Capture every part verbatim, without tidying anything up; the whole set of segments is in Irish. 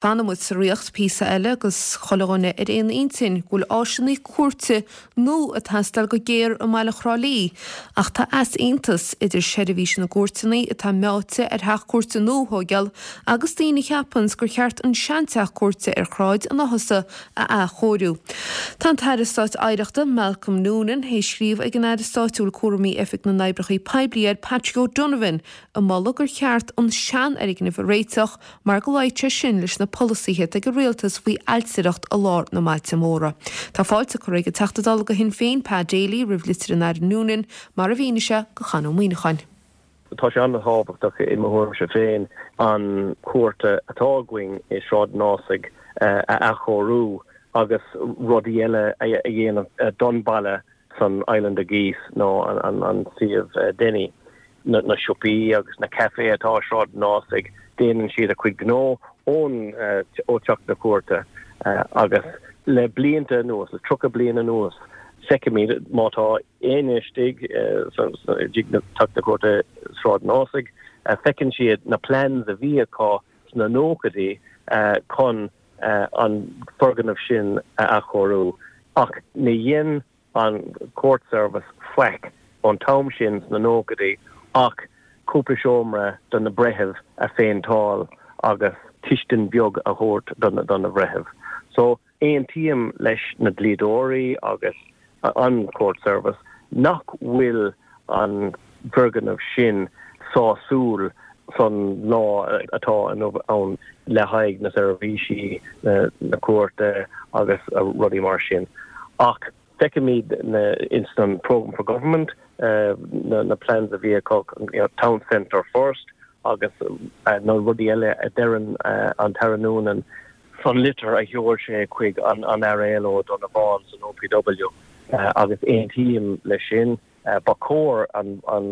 Fanfaidh muid sa Ríocht píosa eile agus chuile dhuine ar aon intinn go bhfuil áiseanna cúirte nua ag teastáil go géar i mbaile Thrá Lí, ach tá easaontas idir seirbhís na gcúirteanna atá meáite ar theach cúirte nua a thógáil agus daoine a cheapanns gur cheart an seanteach cúirte ar Shráid an Áthasa a athchóiriú. Tá an tAire Stáit Oidhreachta Malcolm Noonan théis scríobh ag an Aire Stáit a bhfuil cúraimí Oifig na nOibreacha Poiblí air Patrick O'Donovan ag moladh gur cheart an seanfhoirgneamh a réiteach mar go luífeadh sé sin leis na polasaithe ag an rialtas faoi ailtireacht i lár na mbailte móra. Tá fáilte curtha ag an Teachta Dála do Shinn Féin Pat Daly roimh litir an Aire Noonan mar a mhínigh sé do Chonn Ó Muíneacháin. Tá sé an-tábhachtach i mo thuairimse féin an cúirt atá againn i Sráid an Ásaigh a athchóiriú agus rudaí eile a dhéanamh don baile san Island of Geese nó an, an suíomh Denny. Na, na siopaí agus na café atá Sráid an Ásaigh déanann siad a chuid gnó ón ó teach na cúirte agus le blianta anuas le tríocha bliain anuas feicimid má tá éinne istigh teach na cúirte Sráid an Ásaigh feiceann siad na plans a bhí acu sna nóchaidí chun an foirgneamh sin a athchóiriú ach ní dhein an court service faic ón t-am sin sna nóchaidí ach cúpla seomra do na breithimh a phéinteáil agus cistin beag a thabhairt do na breithimh. So aontaím leis na dlíodóirí agus an court service nach bhfuil an foirgneamh sin sásúil san lá atá ann le haghaidh na seirbhísí na cúirte agus rudaí mar sin. Ach feicimid in san program for government uh, na, na plans a bhí acu you know, town centre first agus uh, na rudaí eile a deireann uh, an tAire Noonan san litir a sheol sé chuig an an Aire O'Donovan san OPW uh, agus aontaím leis sin uh, ba chóir an, an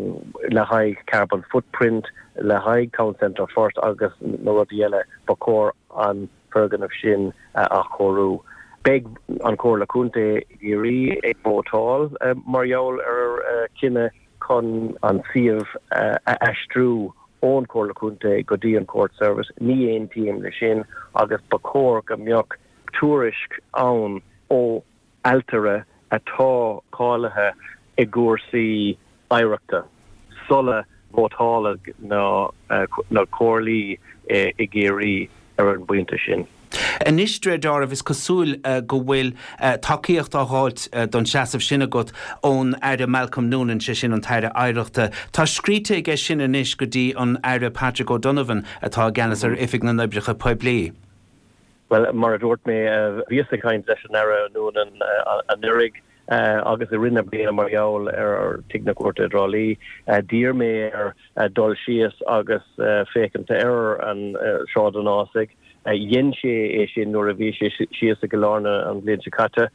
le haghaidh carbon footprint le haghaidh town centre first agus na rudaí eile ba chóir an foirgneamh sin uh, athchóiriú. Beidh an Chomhairle Contae Chiarraí ag vótáil uh, mar gheall ar uh, cinneadh chun an suíomh uh, a aistriú ón Chomhairle Contae go dtí an court service ní aontaím leis sin agus ba chóir go mbeadh tuairisc ann ó ailtire atá cáilithe i gcúrsaí oidhreachta sula vótálann na uh, na comhairlí i gCiarraí ar an bpointe sin. Anois de réir is cosúil uh, go bhfuil uh, tacaíocht á fháilt uh, don seasamh sin agat ón Aire Malcolm Noonan sé sin an tAire Oidhreachta. Tá scríte aige sin anois go dtí an Aire Patrick O'Donovan atá i gceannas ar Oifig na nOibreacha Poiblí. Well mar a dúirt mé bhíos ag caint leis an Aire Noonan anuraidh agus i rith na bliana mar gheall ar Tigh na Cúirte i dTrá Lí d'iarr mé air dul síos agus féachaint ar an Sráid an Ásaigh. Dhein sé é sin nuair a bhí sé síos i gCill Airne an bhliain seo caite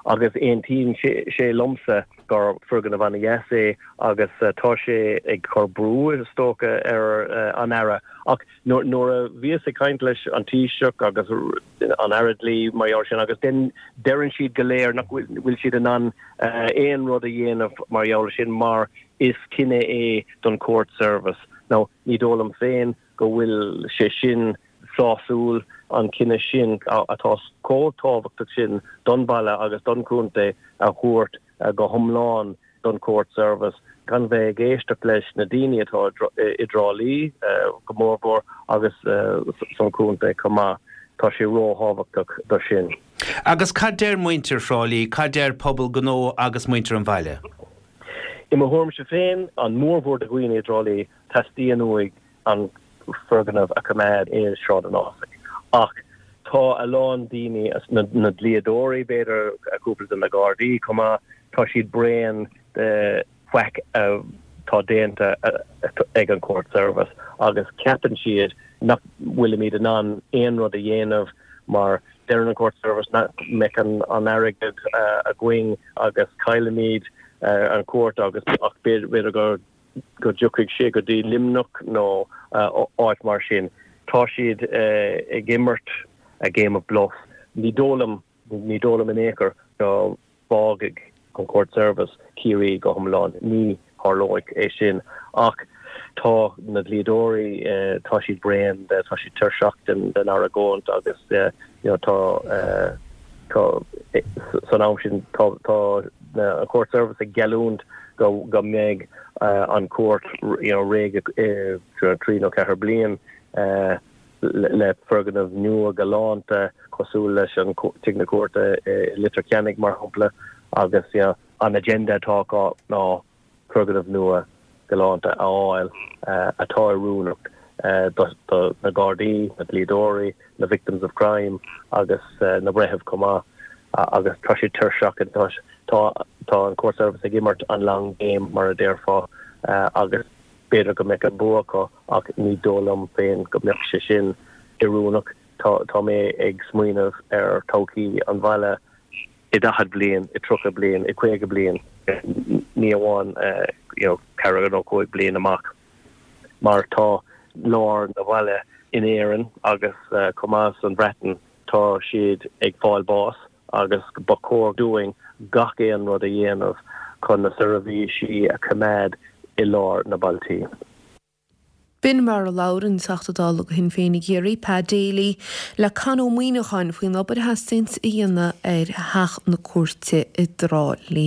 agus aontaíonn sé liomsa gur foirgneamh an-deas é agus tá sé ag cur brú is dócha ar an Aire ach nuair a bhíos ag caint leis an Taoiseach agus an Aire Dlí mar sin agus den deireann siad go léir nach bhfuil siad in ann aon rud a dhéanamh mar gheall sin mar is cinneadh é don court service. Now ní dóigh liom féin go bhfuil sé sin sásúil an cinneadh sin atá chomh tábhachtach sin don bhaile agus don chontae a thabhairt go hiomlán don court service gan bheith ag éisteacht leis na daoine atá i dTrá Lí go mórmhór agus san chontae chomh maith tá sé ró-thábhachtach do sin. Agus cad deir muintir Thrá Lí, cad deir pobal gnó agus muintir an bhaile? I mo thuairimse féin an mórmhór de dhaoine i dTrá Lí teastaíonn uaidh an foirgneamh a choimeád i Sráid an Ásaigh. Ach tá a lán daoine na, na dlíodóirí b'fhéidir cúpla de na Gardaí chomh maith tá siad bréan de faic atá déanta ag an court service agus ceapann siad nach bhfuilimid in ann aon rud a dhéanamh mar deireann an court service nach mbeidh an, an airgead uh, againn agus caillfimid uh, an court agus ach b'fhéidir go go dtiocfaidh sé go dtí Luimneach nó uh, áit mar sin. Tá siad uh, ag imirt a game of bluff. Ní dóigh liom ní dóigh liom in aon chor go bhfágfaidh an court service Ciarraí go hiomlán ní tharlóidh é sin ach Tá na dlíodóirí tá siad bréan de, tá siad tuirseach den den argóint agus you know tá tá san am sin tá tá an court service ag geallúint go go mbeidh an cúirt you know réidh trí nó ceathair bliain le foirgneamh nua galánta cosúil leis an tigh na cúirte i Leitir Ceanainn mar shampla agus you know, an agenda atá acu ná foirgneamh nua galánta a fháil atá oiriúnach do na Gardaí, na dlíodóirí, na victims of crime agus na breithimh chomh maith agus tá sé tuirseach tá tá an court service ag imirt an long game mar a déarfá agus b'fhéidir go mbeidh an bua acu ach ní dóigh liom féin go mbeadh sé sin oiriúnach tá tá mé ag smaoineamh ar todhchaí an bhaile i daichead bliain i tríocha bliain i caoga bliain ní amháin you know ceithre nó cúig bliain amach mar tá lár na bhaile in Éirinn agus uh, chomh maith san Bhreatain tá siad ag fáil bás agus ba chóir dúinn gach aon rud a dhéanamh chun na seirbhísí a choimeád i lár na bailte. B'in mar a labhair an Teachta Dála do Shinn Féin i gCiarraí Pa Daly le Con Ó Muíneacháin faoin obair a theastaíonn a dhéanamh ar theach na cúirte i dTrá Lí.